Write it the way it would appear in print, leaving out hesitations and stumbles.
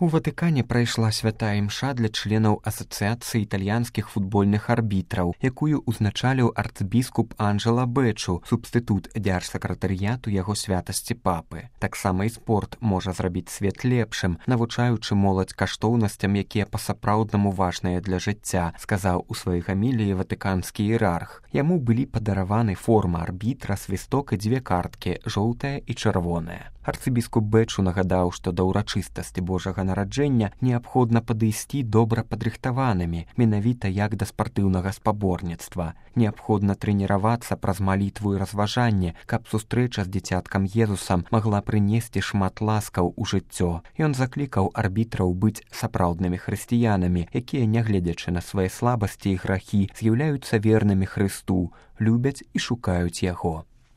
У Ватыкане прайшла святая імша для членаў Асацыяцыі італьянскіх футбольных арбітраў, якую ўзначаліў арцбіскуп Анджела Бэчу, субстытут дзяржсакратарыяту яго святасці папы. Таксама і спорт можа зрабіць свет лепшым, навучаючы моладзь каштоўнасцям, якія па-сапраўднаму важныя для жыцця, сказаў у сваёй гаміліі ватыканскі іерарх. Яму былі падараваны форма арбітра, свісток і 2 карткі, жоўтая і чырвоная. Арцыбіскуп Бэчу нагадаў, што да ўрачыстасці Божага нараджэння неабходна падысці добра падрыхтаванымі, менавіта як да спартыўнага спаборніцтва. Неабходна трэніравацца праз малітву і разважанне, каб сустрэча з дзіцяткам Езусам магла прынесці шмат ласкаў у жыццё. Ён заклікаў арбітраў быць сапраўднымі хрысціянамі, якія, нягледзячы на свае слабасці і грахі, з'яўляюцца вернымі Хрысту, любяць і шукаюць яго.